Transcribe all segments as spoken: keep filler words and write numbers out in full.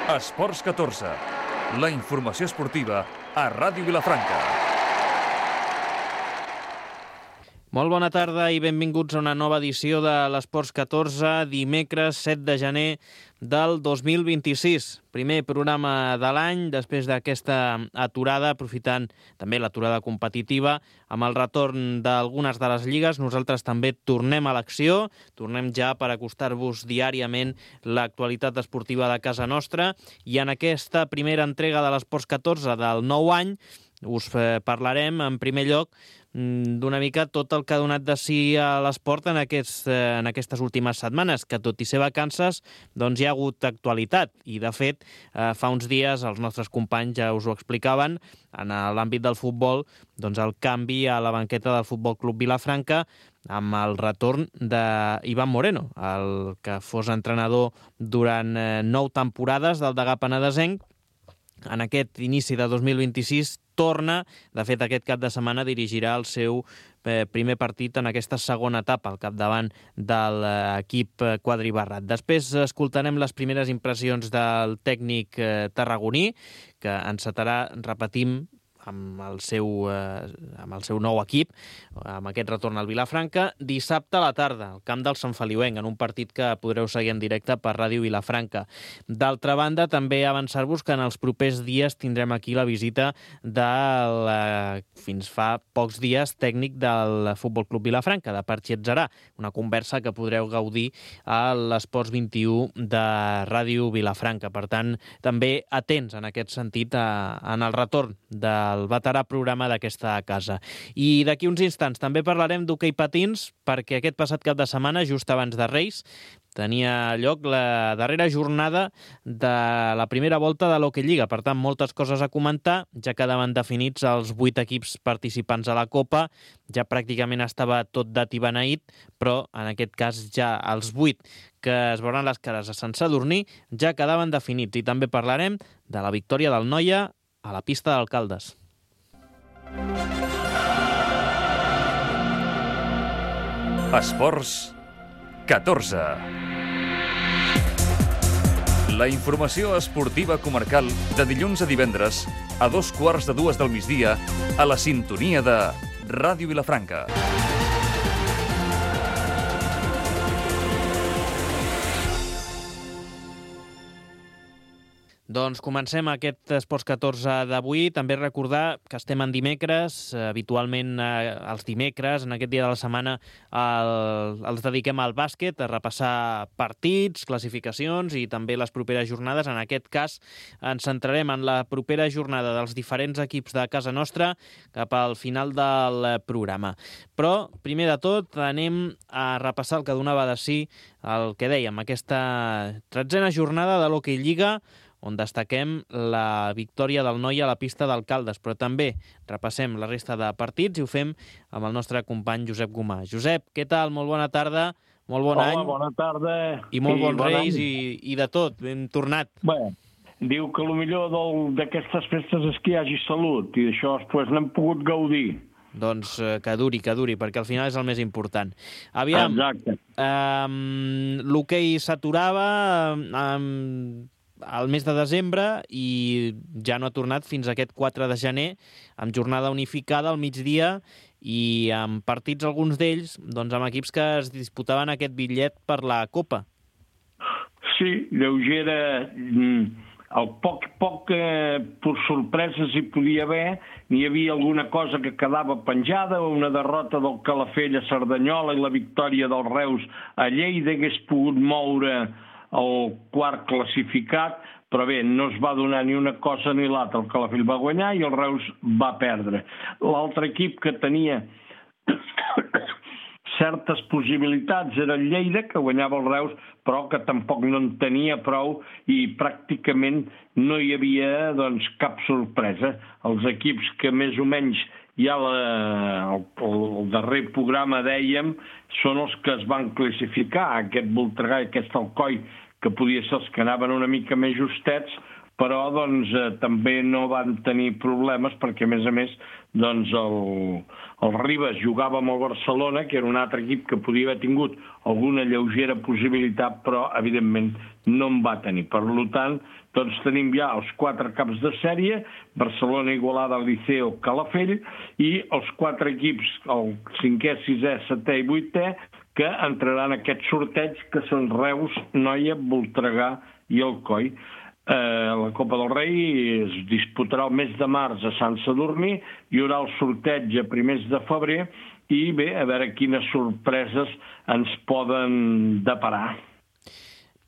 Esports catorze, la informació esportiva a Ràdio Vilafranca. Molt bona tarda i benvinguts a una nova edició de l'Esports catorze, dimecres set de gener del dos mil vint-i-sis. Primer programa de l'any, després d'aquesta aturada, aprofitant també l'aturada competitiva, amb el retorn d'algunes de les lligues. Nosaltres també tornem a l'acció, tornem ja per acostar-vos diàriament l'actualitat esportiva de casa nostra, i en aquesta primera entrega de l'Esports catorze del nou any us parlarem en primer lloc d'una mica tot el que ha donat de si a l'esport en, aquests, en aquestes últimes setmanes, que tot i ser vacances, doncs hi ha hagut actualitat. I, de fet, fa uns dies els nostres companys ja us ho explicaven, en l'àmbit del futbol, doncs el canvi a la banqueta del Futbol Club Vilafranca amb el retorn d'Ivan Moreno, el que fos entrenador durant nou temporades del Degà Penedesenc. En aquest inici de dos mil vint-i-sis torna, de fet aquest cap de setmana dirigirà el seu eh, primer partit en aquesta segona etapa al capdavant de l'equip quadribarrat. Després escoltarem les primeres impressions del tècnic eh, tarragoní, que encetarà, repetim, amb el seu, eh, amb el seu nou equip, amb aquest retorn al Vilafranca, dissabte a la tarda, al camp del Sant Feliuenc, en un partit que podreu seguir en directe per Ràdio Vilafranca. D'altra banda, també avançar-vos que en els propers dies tindrem aquí la visita del, eh, fins fa pocs dies, tècnic del Futbol Club Vilafranca, de Parchi Etzarà, una conversa que podreu gaudir a l'Esports vint-i-u de Ràdio Vilafranca. Per tant, també atents en aquest sentit a, en el retorn del el veterà programa d'aquesta casa. I d'aquí uns instants també parlarem d'hoquei patins, perquè aquest passat cap de setmana, just abans de Reis, tenia lloc la darrera jornada de la primera volta de l'Hockey Lliga. Per tant, moltes coses a comentar, ja quedaven definits els vuit equips participants a la Copa, ja pràcticament estava tot dat i beneït, però en aquest cas ja els vuit que es veuran les cares a Sant Sadurní ja quedaven definits. I també parlarem de la victòria del Noia a la pista d'Alcaldes. Esports catorze. La informació esportiva comarcal de dilluns a divendres a dos quarts de dues del migdia a la sintonia de Ràdio Vilafranca. Doncs comencem aquest Esports catorze d'avui. També recordar que estem en dimecres. Habitualment eh, els dimecres, en aquest dia de la setmana, el, els dediquem al bàsquet, a repassar partits, classificacions i també les properes jornades. En aquest cas ens centrarem en la propera jornada dels diferents equips de casa nostra cap al final del programa. Però, primer de tot, anem a repassar el que donava de si el que dèiem, aquesta tretzena jornada de l'Hockey Lliga, on destaquem la victòria del Noia a la pista d'Alcaldes, però també repassem la resta de partits i ho fem amb el nostre company Josep Gomà. Josep, què tal? Molt bona tarda, molt bon Hola, any. Hola, bona tarda. I molt bons bon reis any. i, i de tot, ben tornat. Bé, diu que el millor d'aquestes festes és que hi hagi salut, i d'això després n'hem pogut gaudir. Doncs eh, que duri, que duri, perquè al final és el més important. Aviam, Exacte. eh, l'hoquei s'aturava eh, al mes de desembre i ja no ha tornat fins a aquest quatre de gener, amb jornada unificada al migdia i amb partits, alguns d'ells, doncs amb equips que es disputaven aquest bitllet per la Copa. Sí, lleugera. El poc, poc eh, per sorpreses hi podia haver, n'hi havia alguna cosa que quedava penjada, una derrota del Calafell a Cerdanyola i la victòria dels Reus a Lleida hagués pogut moure el quart classificat, però bé, no es va donar ni una cosa ni l'altra. El Calafell va guanyar i el Reus va perdre. L'altre equip que tenia certes possibilitats era el Lleida, que guanyava el Reus, però que tampoc no en tenia prou i pràcticament no hi havia doncs, cap sorpresa. Els equips que més o menys ja la, el, el darrer programa dèiem són els que es van classificar. Aquest Voltregà i aquest Alcoi, que podia ser els que anaven una mica més justets, però doncs, eh, també no van tenir problemes perquè, a més a més, doncs el, el Ribes jugava amb el Barcelona, que era un altre equip que podia haver tingut alguna lleugera possibilitat, però, evidentment, no en va tenir. Per tant, doncs tenim ja els quatre caps de sèrie, Barcelona, Igualada, Liceo, Calafell, i els quatre equips, el cinquè, sisè, setè i vuitè, que entraran en aquest sorteig, que són Reus, Noia, Voltregà i Alcoi. Eh, la Copa del Rei es disputarà el mes de març a Sant Sadurní, hi haurà el sorteig a primers de febrer, i bé, a veure quines sorpreses ens poden deparar.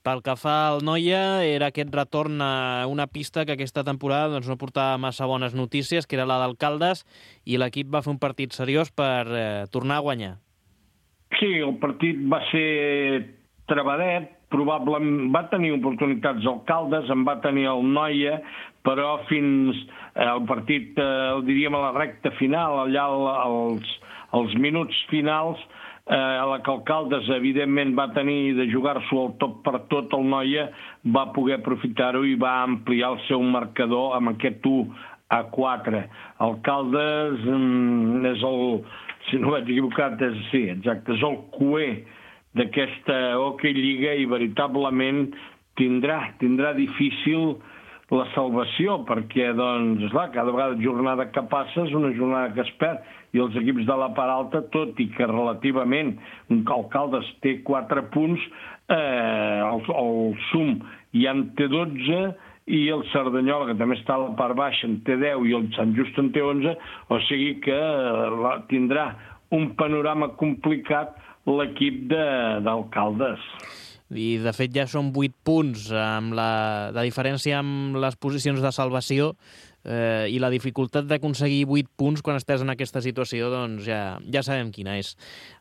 Pel que fa al Noia, era aquest retorn a una pista que aquesta temporada doncs, no portava massa bones notícies, que era la d'Alcaldes, i l'equip va fer un partit seriós per eh, tornar a guanyar. Sí, el partit va ser trebadet, probablement va tenir oportunitats Alcaldes, en va tenir el Noia, però fins al partit, eh, diríem a la recta final, allà als, als minuts finals, eh, a la que Alcaldes evidentment va tenir de jugar-s'ho al tot per tot, el Noia va poder aprofitar-ho i va ampliar el seu marcador amb aquest u a quatre. Alcaldes mm, és el... si no vaig equivocat, és, sí, exacte, és el cuer d'aquesta Hockey Lliga i veritablement tindrà, tindrà difícil la salvació, perquè, doncs, esclar, cada vegada jornada que passa és una jornada que es perd, i els equips de la part alta, tot i que relativament un Alcaldes té quatre punts, eh, el, el Sum ja en té dotze, i el Cerdanyola, que també està a la part baixa, en té deu, i el Sant Just en té onze, o sigui que tindrà un panorama complicat l'equip d'Alcaldes. I, de fet, ja són vuit punts, amb la, la diferència amb les posicions de salvació, eh, i la dificultat d'aconseguir vuit punts quan estàs en aquesta situació, doncs ja, ja sabem quina és.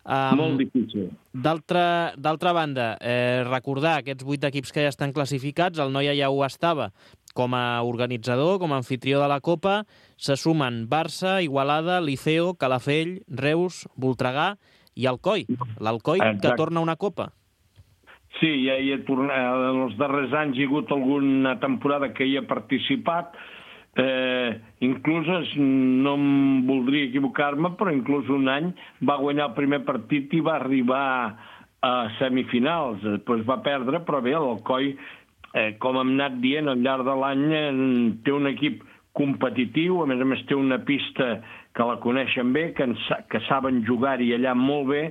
Um, Molt difícil. D'altra banda, eh, recordar aquests vuit equips que ja estan classificats, el Noia ja ho estava com a organitzador, com a anfitrió de la Copa, se sumen Barça, Igualada, Liceo, Calafell, Reus, Voltregà i Alcoi. L'Alcoi que torna una Copa. Sí, ja hi ha tornat, en els darrers anys hi ha hagut alguna temporada que hi ha participat, eh, inclús, no em voldria equivocar-me, però inclús un any va guanyar el primer partit i va arribar a semifinals, després va perdre, però bé, l'Alcoi, eh, com hem anat dient, al llarg de l'any eh, té un equip competitiu, a més a més té una pista que la coneixen bé, que, en, que saben jugar-hi allà molt bé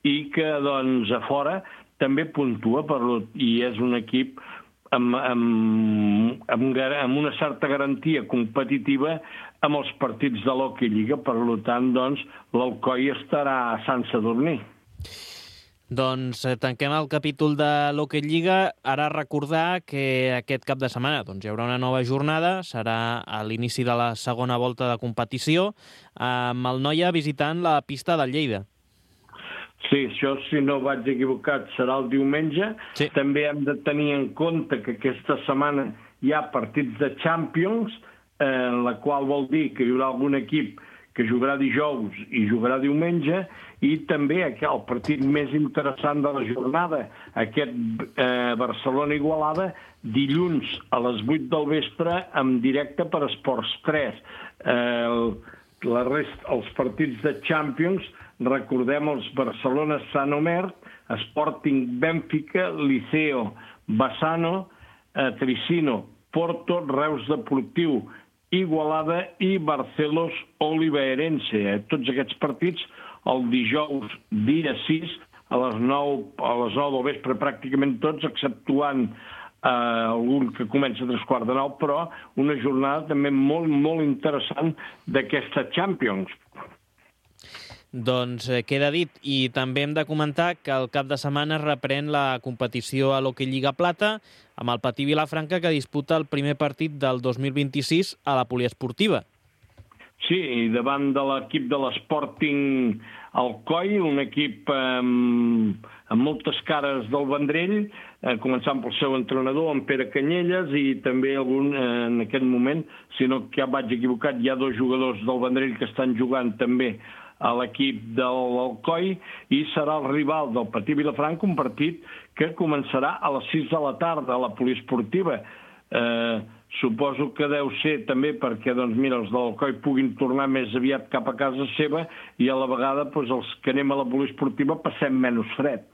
i que, doncs, a fora també puntua, per, i és un equip amb, amb, amb, amb una certa garantia competitiva amb els partits de l'Hockey Lliga. Per tant, doncs, l'Alcoi estarà a Sant Sadurní. Doncs eh, tanquem el capítol de l'Hockey Lliga. Ara recordar que aquest cap de setmana doncs, hi haurà una nova jornada, serà a l'inici de la segona volta de competició, amb el Noia visitant la pista del Lleida. Sí, això, si no vaig equivocat, serà el diumenge. Sí. També hem de tenir en compte que aquesta setmana hi ha partits de Champions, eh, la qual vol dir que hi haurà algun equip que jugarà dijous i jugarà diumenge, i també el partit més interessant de la jornada, aquest eh, Barcelona-Igualada, dilluns a les vuit del vespre, en directe per Esports tres. Eh, la rest, els partits de Champions, recordem els Barcelona-Sant Omer, Sporting Benfica, Liceo, Bassano, eh, Tricino, Porto, Reus Deportiu, Igualada i Barcelos Oliveirense. Eh, tots aquests partits el dijous, dia sis, a les nou, a les nou del vespre, pràcticament tots, exceptuant eh, algun que comença a tres quarts de nou, però una jornada també molt, molt interessant d'aquesta Champions. Doncs eh, queda dit, i també hem de comentar que el cap de setmana es reprèn la competició a l'Hockey Lliga Plata amb el Patí Vilafranca, que disputa el primer partit del dos mil vint-i-sis a la poliesportiva. Sí, i davant de l'equip de l'Sporting Alcoi, un equip amb, amb moltes cares del Vendrell, eh, començant pel seu entrenador, en Pere Canyelles, i també algun, eh, en aquest moment, si no que ja vaig equivocat, hi ha dos jugadors del Vendrell que estan jugant també a l'equip de l'Alcoi, i serà el rival del Patí Vilafranca, un partit que començarà a les sis de la tarda a la poliesportiva. Eh, suposo que deu ser també perquè, doncs, mira, els de l'Alcoi puguin tornar més aviat cap a casa seva i a la vegada doncs, els que anem a la poliesportiva passem menys fred.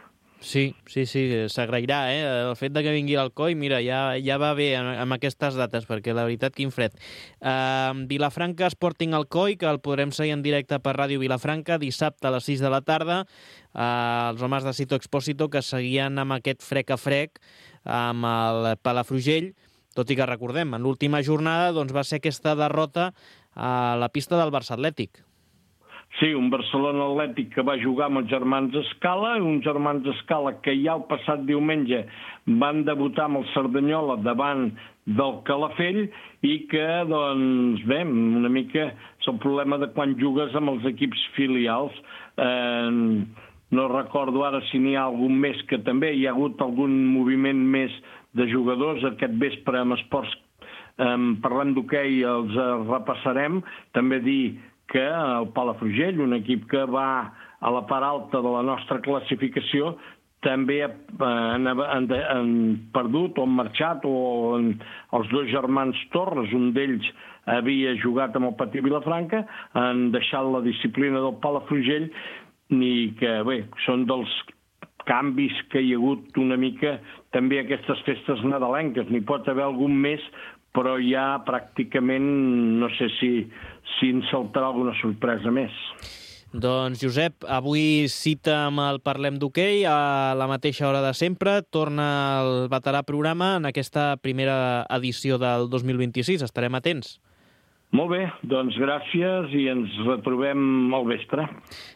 Sí, sí, sí, s'agrairà, eh? El fet de que vingui l'Alcoi, mira, ja, ja va bé amb aquestes dates, perquè la veritat, quin fred. Uh, Vilafranca Sporting Alcoi, que el podrem seguir en directe per Ràdio Vilafranca, dissabte a les sis de la tarda. Uh, els homes de Cito Expósito que seguien amb aquest frec a frec amb el Palafrugell, tot i que recordem, en l'última jornada doncs, va ser aquesta derrota a la pista del Barça Atlètic. Sí, un Barcelona Atlètic que va jugar amb els germans Escala, uns germans Escala que ja el passat diumenge van debutar amb el Cerdanyola davant del Calafell i que, doncs, bé, una mica és el problema de quan jugues amb els equips filials. Eh, no recordo ara si n'hi ha algun més, que també hi ha hagut algun moviment més de jugadors aquest vespre amb esports. Eh, parlem d'hoquei, els eh, repassarem. També dir que el Palafrugell, un equip que va a la part alta de la nostra classificació, també eh, han, han, han perdut o han marxat, o en, els dos germans Torres, un d'ells havia jugat amb el Patí Vilafranca, han deixat la disciplina del Palafrugell i que, bé, són dels canvis que hi ha hagut una mica també aquestes festes nadalenques. N'hi pot haver algun més, però ja pràcticament no sé si, si ens saltarà alguna sorpresa més. Doncs, Josep, avui cita amb el Parlem d'Hoquei a la mateixa hora de sempre. Torna el veterà programa en aquesta primera edició del dos mil vint-i-sis. Estarem atents. Molt bé, doncs gràcies i ens retrobem al vespre.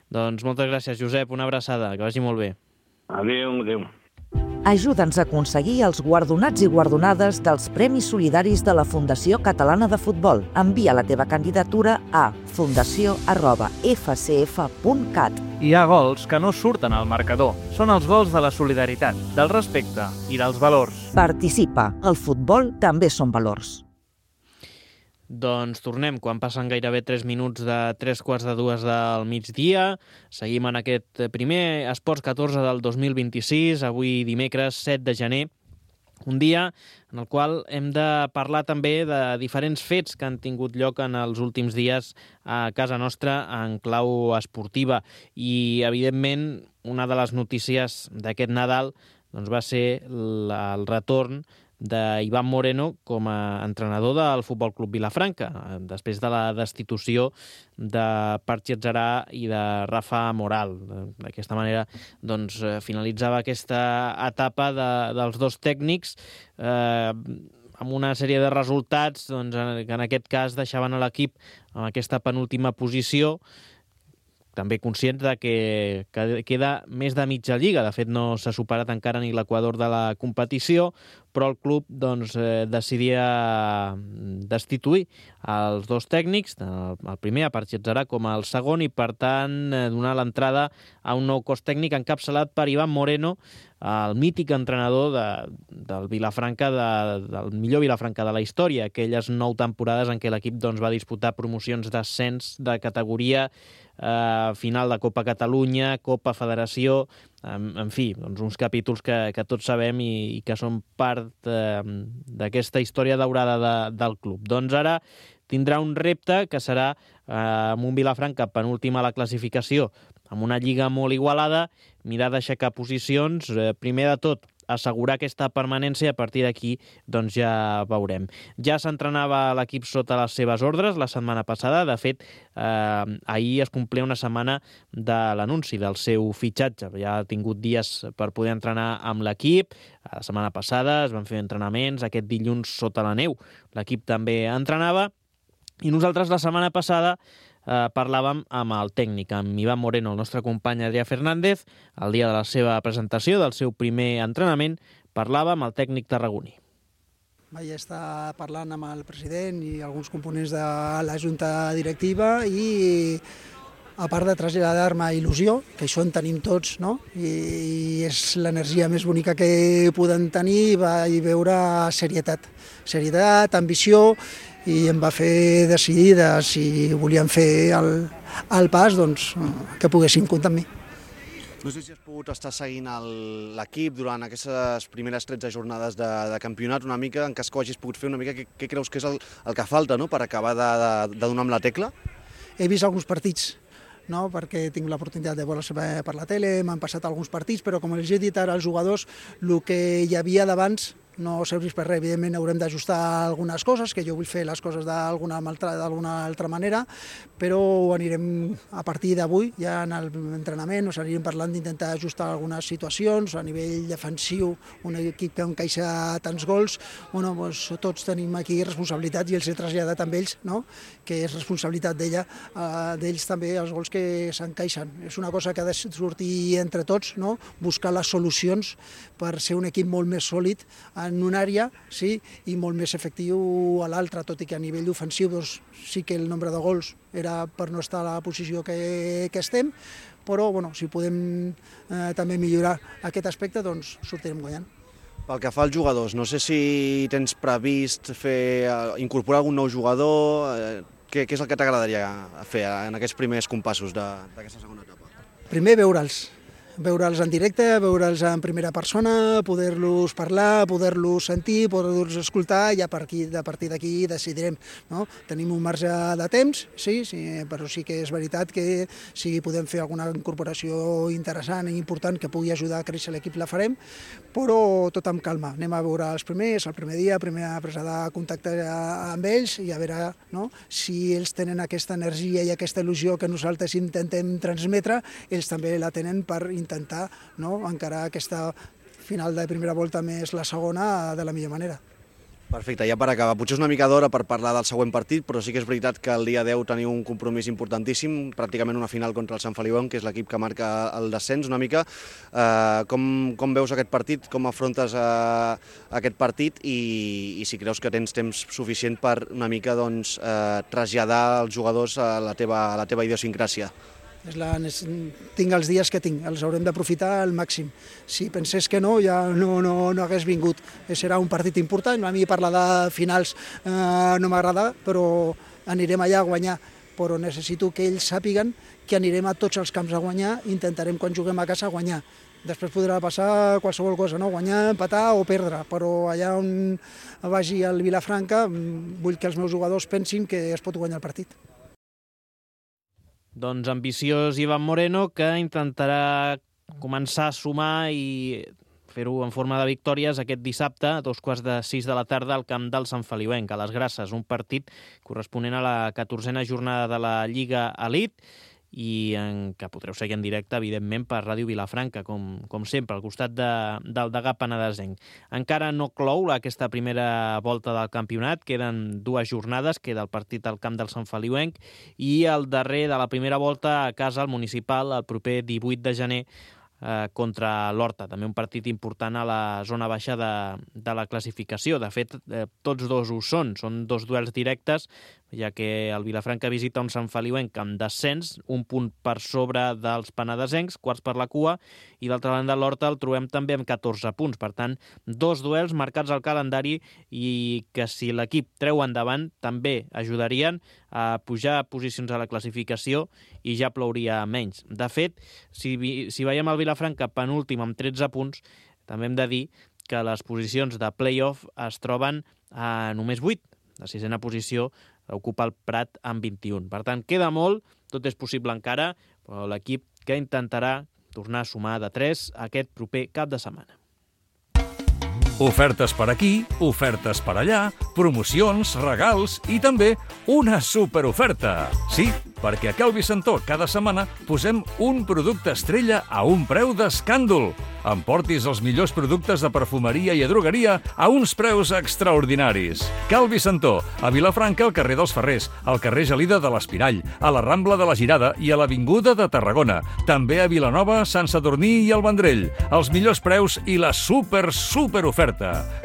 Doncs moltes gràcies, Josep. Una abraçada. Que vagi molt bé. Adéu, adéu. Ajuda'ns a aconseguir els guardonats i guardonades dels Premis Solidaris de la Fundació Catalana de Futbol. Envia la teva candidatura a fundació arroba f c f punt cat. Hi ha gols que no surten al marcador. Són els gols de la solidaritat, del respecte i dels valors. Participa. El futbol també són valors. Doncs tornem, quan passen gairebé tres minuts de tres quarts de dues del migdia. Seguim en aquest primer Esports catorze del dos mil vint-i-sis, avui dimecres set de gener. Un dia en el qual hem de parlar també de diferents fets que han tingut lloc en els últims dies a casa nostra en clau esportiva. I, evidentment, una de les notícies d'aquest Nadal doncs, va ser la, el retorn d'Iván Moreno com a entrenador del Futbol Club Vilafranca, després de la destitució de Patxi Atzarà i de Rafa Moral. D'aquesta manera doncs, finalitzava aquesta etapa de, dels dos tècnics eh, amb una sèrie de resultats doncs, que en aquest cas deixaven a l'equip en aquesta penúltima posició, també conscients de que, que queda més de mitja lliga. De fet, no s'ha superat encara ni l'equador de la competició, però el club doncs, eh, decidia destituir els dos tècnics, el primer, a Patxi Atzarà, com el segon, i per tant eh, donar l'entrada a un nou cos tècnic encapçalat per Iván Moreno, el mític entrenador de, del Vilafranca, de, del millor Vilafranca de la història, aquelles nou temporades en què l'equip doncs, va disputar promocions d'ascens de categoria, eh, final de Copa Catalunya, Copa Federació, en, en fi, doncs uns capítols que, que tots sabem i, i que són part eh, d'aquesta història daurada de, del club. Doncs ara tindrà un repte que serà eh, amb un Vilafranca penúltim a la classificació, amb una lliga molt igualada, mirar d'aixecar posicions, eh, primer de tot, assegurar aquesta permanència, a partir d'aquí doncs ja veurem. Ja s'entrenava l'equip sota les seves ordres la setmana passada. De fet, eh, ahir es complia una setmana de l'anunci del seu fitxatge. Ja ha tingut dies per poder entrenar amb l'equip. La setmana passada es van fer entrenaments, aquest dilluns sota la neu l'equip també entrenava, i nosaltres la setmana passada eh, parlàvem amb el tècnic, amb Iván Moreno, el nostre company Adrià Fernández. El dia de la seva presentació, del seu primer entrenament, parlàvem amb el tècnic tarragoní. Vaig estar parlant amb el president i alguns components de la junta directiva i, a part de traslladar-me il·lusió, que això en tenim tots, no? I és l'energia més bonica que podem tenir, vaig veure serietat, serietat, ambició, i em va fer decidir de si volíem fer el, el pas, doncs, que poguessin comptar amb mi. No sé si has pogut estar seguint l'equip durant aquestes primeres tretze jornades de, de campionat, una mica, en cas que ho hagis pogut fer, una mica, què, què creus que és el, el que falta, no?, per acabar de, de, de donar amb la tecla? He vist alguns partits, no?, perquè tinc l'oportunitat de veure per la tele, m'han passat alguns partits, però com els he dit ara als jugadors, el que hi havia d'abans no serveix per res. Evidentment haurem d'ajustar algunes coses, que jo vull fer les coses d'alguna altra, altra manera, però ho anirem a partir d'avui, ja en l'entrenament, us anirem parlant d'intentar ajustar algunes situacions, a nivell defensiu, un equip que encaixa tants gols, bueno, doncs, tots tenim aquí responsabilitats i els he traslladat amb ells, no?, que és responsabilitat d'ella, eh, d'ells també els gols que s'encaixen. És una cosa que ha de sortir entre tots, no?, buscar les solucions per ser un equip molt més sòlid en una àrea, sí, i molt més efectiu a l'altra, tot i que a nivell ofensiu doncs, sí que el nombre de gols era per no estar a la posició que, que estem, però bueno, si podem eh, també millorar aquest aspecte, doncs sortirem guanyant. Pel que fa als jugadors, no sé si tens previst fer, incorporar algun nou jugador, eh, què, què és el que t'agradaria fer en aquests primers compassos d'aquesta segona etapa? Primer veure'ls, veure'ls en directe, veure'ls en primera persona, poder-los parlar, poder-los sentir, poder-los escoltar, i a partir, a partir d'aquí decidirem, no? Tenim un marge de temps, sí, sí, però sí que és veritat que si podem fer alguna incorporació interessant i important que pugui ajudar a créixer l'equip, la farem, però tot amb calma. Anem a veure els primers, el primer dia, primera presa de contacte amb ells i a veure, no?, si ells tenen aquesta energia i aquesta il·lusió que nosaltres intentem transmetre, ells també la tenen per intentar, no?, encarar aquesta final de primera volta més la segona de la millor manera. Perfecte, ja per acabar, potser és una mica d'hora per parlar del següent partit, però sí que és veritat que el dia deu teniu un compromís importantíssim, pràcticament una final contra el Sant Feliuenc, que és l'equip que marca el descens una mica. Eh, com, com veus aquest partit, com afrontes eh, aquest partit i, i si creus que tens temps suficient per una mica doncs, eh, traslladar els jugadors a la teva, a la teva idiosincràsia? És la, tinc els dies que tinc, els haurem d'aprofitar al màxim. Si pensés que no, ja no, no, no hagués vingut. Serà un partit important, a mi parlar de finals eh, no m'agrada, però anirem allà a guanyar. Però necessito que ells sàpiguen que anirem a tots els camps a guanyar, intentarem quan juguem a casa guanyar. Després podrà passar qualsevol cosa, no? Guanyar, empatar o perdre, però allà on vagi al Vilafranca vull que els meus jugadors pensin que es pot guanyar el partit. Doncs ambiciós Ivan Moreno, que intentarà començar a sumar i fer-ho en forma de victòries aquest dissabte a dos quarts de sis de la tarda al camp del Sant Feliuenc, a les Grasses, un partit corresponent a la catorzena jornada de la Lliga Elite i en què podreu seguir en directe, evidentment, per Ràdio Vilafranca, com, com sempre, al costat de, del Degà Penedesenc. Encara no clou aquesta primera volta del campionat, queden dues jornades, queda el partit al camp del Sant Feliuenc i el darrer de la primera volta a casa al Municipal, el proper divuit de gener, eh, contra l'Horta, també un partit important a la zona baixa de, de la classificació. De fet, eh, tots dos ho són, són dos duels directes, ja que el Vilafranca visita un Sant Feliuenc amb descens, un punt per sobre dels penedesencs, quarts per la cua, i d'altra banda l'Horta el trobem també amb catorze punts. Per tant, dos duels marcats al calendari i que si l'equip treu endavant també ajudarien a pujar posicions a la classificació i ja plouria menys. De fet, si, si veiem el Vilafranca penúltim amb tretze punts, també hem de dir que les posicions de play-off es troben a només vuit. La sisena posició ocupa el Prat amb vint-i-un. Per tant, queda molt, tot és possible encara, però l'equip que intentarà tornar a sumar de tres aquest proper cap de setmana. Ofertes per aquí, ofertes per allà, promocions, regals i també una superoferta. Sí, perquè a Cal Vicentó cada setmana posem un producte estrella a un preu d'escàndol. Emportis els millors productes de perfumeria i drogueria a uns preus extraordinaris. Cal Vicentó, a Vilafranca, al carrer dels Ferrers, al carrer Gelida de l'Espirall, a la Rambla de la Girada i a l'Avinguda de Tarragona. També a Vilanova, Sant Sadurní i el Vendrell. Els millors preus i la super, super oferta.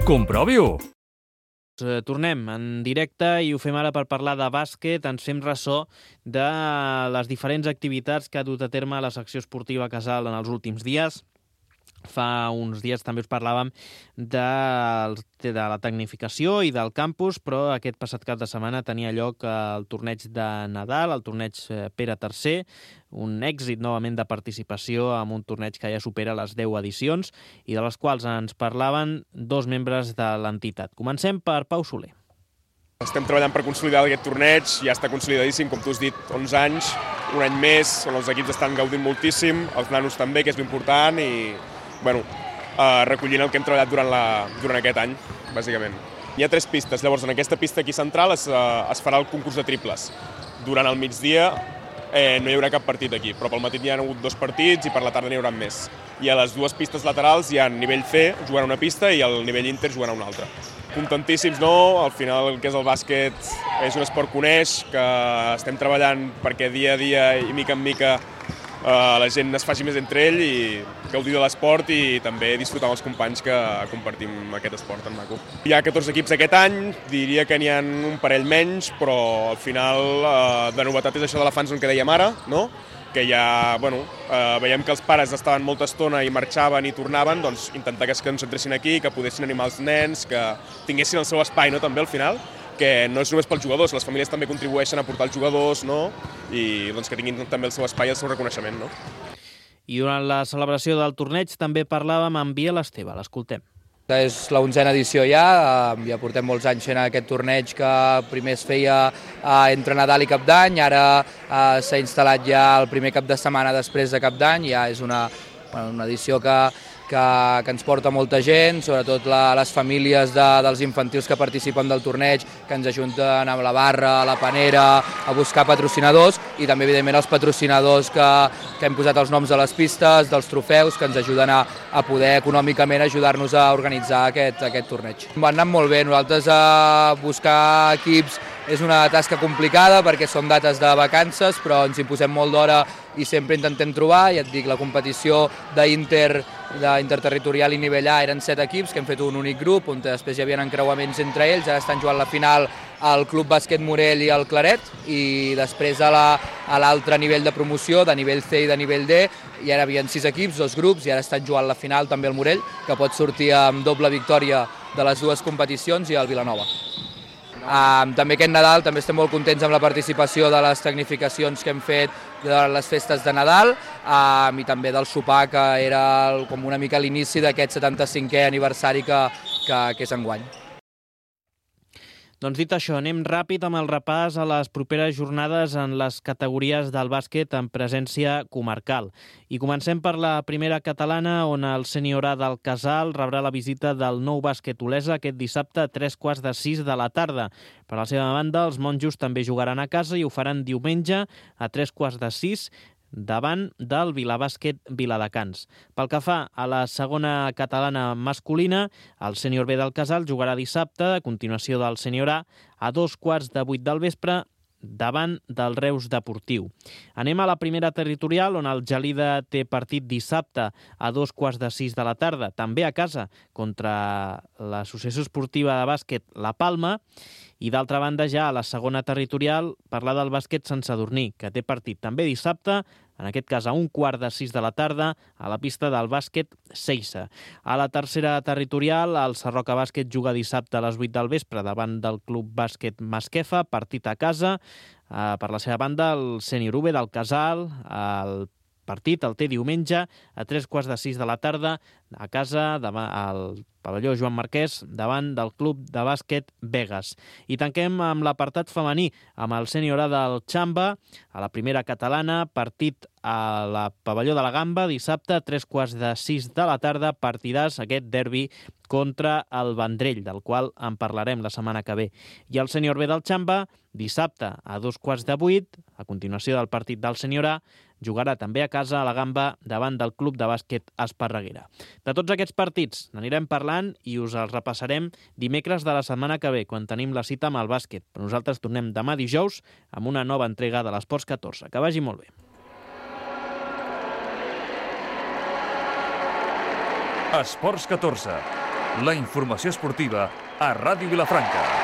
Comprovi-ho! Tornem en directe i ho fem ara per parlar de bàsquet. Ens fem ressò de les diferents activitats que ha dut a terme la secció esportiva Casal en els últims dies. Fa uns dies també us parlàvem de, de la tecnificació i del campus, però aquest passat cap de setmana tenia lloc el torneig de Nadal, el torneig Pere tercer, un èxit novament de participació amb un torneig que ja supera les deu edicions i de les quals ens parlaven dos membres de l'entitat. Comencem per Pau Soler. Estem treballant per consolidar aquest torneig, ja està consolidadíssim, com tu has dit, onze anys, un any més, on els equips estan gaudint moltíssim, els nanos també, que és l'important, i bueno, eh, recollint el que hem treballat durant, la, durant aquest any, bàsicament. Hi ha tres pistes, llavors en aquesta pista aquí central es, eh, es farà el concurs de triples. Durant el migdia eh, no hi haurà cap partit aquí, però pel matí hi ha hagut dos partits i per la tarda n'hi haurà més. I a les dues pistes laterals hi ha nivell C jugant a una pista i el nivell Inter jugant a una altra. Contentíssims, no? Al final el que és el bàsquet és un esport que uneix, que estem treballant perquè dia a dia i mica en mica Uh, la gent es faci més entre ell i gaudir de l'esport i també disfrutar amb els companys que compartim aquest esport tan maco. Hi ha catorze equips aquest any, diria que n'hi ha un parell menys, però al final uh, de novetat és això de la fan zone que dèiem ara, no? Que ja, bueno, uh, veiem que els pares estaven molta estona i marxaven i tornaven, doncs intentar que es concentressin aquí, que poguessin animar els nens, que tinguessin el seu espai, no?, també al final, que no és només pels jugadors, les famílies també contribueixen a portar els jugadors, no?, i doncs, que tinguin també el seu espai i el seu reconeixement, no? I durant la celebració del torneig també parlàvem amb Biel Esteve, l'escoltem. És l'onzena edició ja, ja portem molts anys fent aquest torneig que primer es feia entre Nadal i Cap d'Any, ara s'ha instal·lat ja el primer cap de setmana després de Cap d'Any, ja és una, una edició que Que, que ens porta molta gent, sobretot la, les famílies de, dels infantils que participen del torneig, que ens ajunten amb la barra, a la panera, a buscar patrocinadors i també, evidentment, els patrocinadors que, que hem posat els noms de les pistes, dels trofeus, que ens ajuden a, a poder econòmicament ajudar-nos a organitzar aquest, aquest torneig. Va anar molt bé, nosaltres a buscar equips és una tasca complicada perquè són dates de vacances, però ens hi posem molt d'hora i sempre intentem trobar. Ja et dic, la competició d'Inter, d'interterritorial i nivell A eren set equips, que hem fet un únic grup, on després hi havia encreuaments entre ells. Ara estan jugant la final al Club Bàsquet Morell i el Claret, i després a l'altre la, nivell de promoció, de nivell C i de nivell D, i ara hi havia sis equips, dos grups, i ara estan jugant la final també el Morell, que pot sortir amb doble victòria de les dues competicions, i el Vilanova. Um, també aquest Nadal també estem molt contents amb la participació de les tecnificacions que hem fet de les festes de Nadal um, i també del sopar, que era el, com una mica l'inici d'aquest setanta-cinquè aniversari que, que, que és enguany. Doncs dit això, anem ràpid amb el repàs a les properes jornades en les categories del bàsquet en presència comarcal. I comencem per la primera catalana, on el sènior A del Casal rebrà la visita del Nou Bàsquet Olesa aquest dissabte a tres quarts de sis de la tarda. Per la seva banda, els monjos també jugaran a casa i ho faran diumenge a tres quarts de sis davant del Vilabàsquet Viladecans. Pel que fa a la segona catalana masculina, el sènior B del Casal jugarà dissabte, a continuació del sènior A, a dos quarts de vuit del vespre, davant del Reus Deportiu. Anem a la primera territorial, on el Gelida té partit dissabte a dos quarts de sis de la tarda, també a casa, contra l'Associació Esportiva de Bàsquet La Palma. I d'altra banda, ja a la segona territorial, parlar del bàsquet Sant Sadurní, que té partit també dissabte, en aquest cas a un quart de sis de la tarda, a la pista del bàsquet Seixa. A la tercera territorial, el Sarroca Bàsquet juga dissabte a les vuit del vespre davant del Club Bàsquet Masquefa, partit a casa. Uh, per la seva banda, el sènior U del Casal, el partit el té diumenge a tres quarts de sis de la tarda a casa, davant, al pavelló Joan Marquès, davant del Club de Bàsquet Vegas. I tanquem amb l'apartat femení, amb el sènior A del Xamba, a la primera catalana, partit a la pavelló de la Gamba, dissabte a tres quarts de sis de la tarda, partidàs aquest derbi contra el Vendrell, del qual en parlarem la setmana que ve. I el sènior B del Xamba, dissabte a dos quarts de vuit, a continuació del partit del sènior A, jugarà també a casa a la Gamba davant del Club de Bàsquet Esparreguera. De tots aquests partits n'anirem parlant i us els repassarem dimecres de la setmana que ve, quan tenim la cita amb el bàsquet. Però nosaltres tornem demà dijous amb una nova entrega de l'Esports catorze. Que vagi molt bé. Esports catorze. La informació esportiva a Ràdio Vilafranca.